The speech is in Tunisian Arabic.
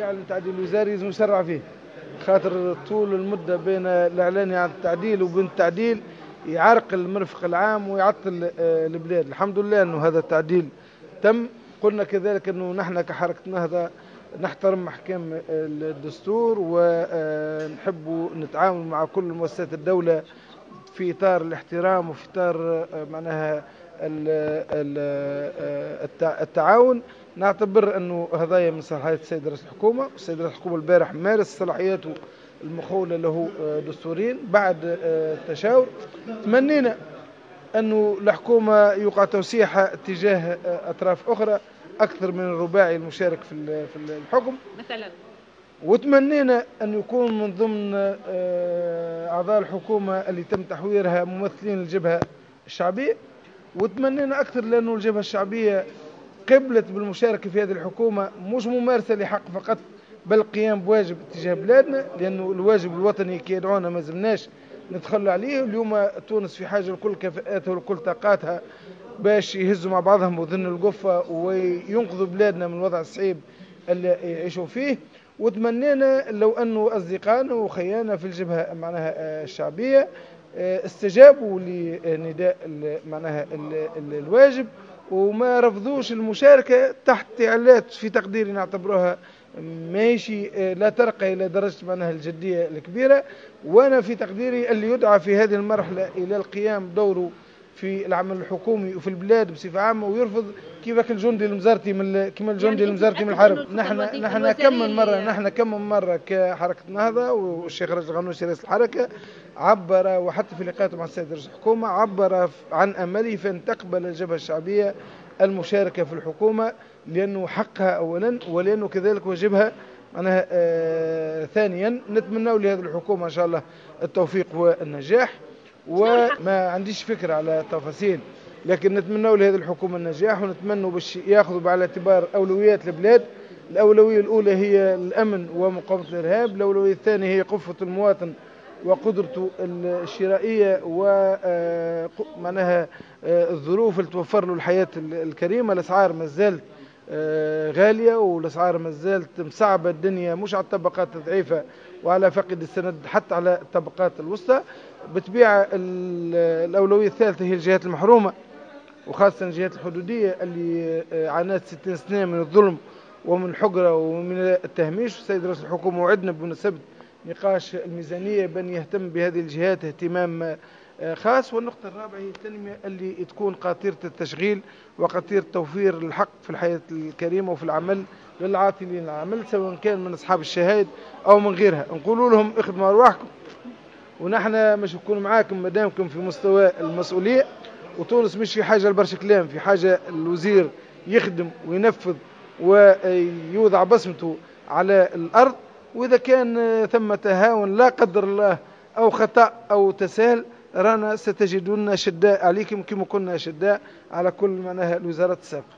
يعلن تعديل وزاري لازم يسرع فيه، خاطر طول المدة بين الاعلان عن التعديل وبين التعديل يعرقل المرفق العام ويعطل البلاد. الحمد لله انه هذا التعديل تم. قلنا كذلك انه نحن كحركه نهضة نحترم احكام الدستور ونحب نتعامل مع كل مؤسسات الدولة في اطار الاحترام وفي اطار معناها التعاون. نعتبر انه هذايا من صلاحيات السيد رئيس الحكومة، والسيد رئيس الحكومة البارح مارس صلاحياته المخوله له دستوريا بعد التشاور. تمنينا انه الحكومة يوقع توسيعها تجاه اطراف اخرى اكثر من الرباعي المشارك في الحكم مثلا، وتمنينا ان يكون من ضمن اعضاء الحكومة اللي تم تحويرها ممثلين الجبهة الشعبية، وتمنينا اكثر لانه الجبهة الشعبية قبلت بالمشاركة في هذه الحكومة مش ممارسة لحق فقط بل قيام بواجب تجاه بلادنا، لانه الواجب الوطني كي يدعونا ما زلناش نتخلى عليه. اليوم تونس في حاجة لكل كفاءاتها ولكل طاقاتها باش يهزوا مع بعضهم وذن القفه وينقذوا بلادنا من الوضع الصعيب اللي يعيشوا فيه. وتمنينا لو انه اصدقائنا وخيانا في الجبهة معناها الشعبية استجابوا لنداء معناها الواجب وما رفضوش المشاركة تحت تعلات في تقديري نعتبروها ماشي لا ترقى الى درجه معناها الجدية الكبيرة. وانا في تقديري اللي يدعى في هذه المرحلة الى القيام بدوره في العمل الحكومي وفي البلاد بصفة عامة ويرفض كيفك الجندي المزارتي من كما الجندي يعني المزارتي من الحرب. نحن كم من مرة، نحن كم من مرة كحركه نهضة والشيخ راشد الغنوشي رئيس الحركة عبر، وحتى في لقاءاته مع السيد رئيس الحكومة عبر عن امله في ان تقبل الجبهة الشعبية المشاركة في الحكومة، لانه حقها اولا ولانه كذلك واجبها معناها ثانيا. نتمنى لهذه الحكومة ان شاء الله التوفيق والنجاح، وما عنديش فكرة على التفاصيل، لكن نتمنى لهذه الحكومة النجاح، ونتمنى باش ياخذوا بعين الاعتبار اولويات البلاد. الاولوية الاولى هي الامن ومقاومة الارهاب، الاولوية الثانية هي قفة المواطن وقدرته الشرائية ومعناها الظروف اللي توفر له الحياة الكريمة. الاسعار ما زالت غالية والاسعار ما زالت مصعبه الدنيا، مش على الطبقات الضعيفة وعلى فقد السند، حتى على الطبقات الوسطى. بطبيعة الاولوية الثالثة هي الجهات المحرومه، وخاصة الجهات الحدوديه اللي عانت 60 سنة من الظلم ومن الحقره ومن التهميش. السيد رئيس الحكومة وعدنا بمناسبة نقاش الميزانية بان يهتم بهذه الجهات اهتمام خاص. والنقطة الرابعة هي التنمية اللي تكون قاطرة التشغيل وقاطرة توفير الحق في الحياة الكريمة وفي العمل للعاطلين العمل، سواء كان من أصحاب الشهادة أو من غيرها. نقول لهم اخدموا أرواحكم ونحن مش نكون معاكم مادامكم في مستوى المسؤولية. وتونس مش في حاجة لبرشا كلام، في حاجة الوزير يخدم وينفذ ويوضع بصمته على الأرض. وإذا كان ثم تهاون لا قدر الله أو خطأ أو تساهل، رانا ستجدون شداء عليكم كما كنا شداء على كل معناها الوزارات السابقة.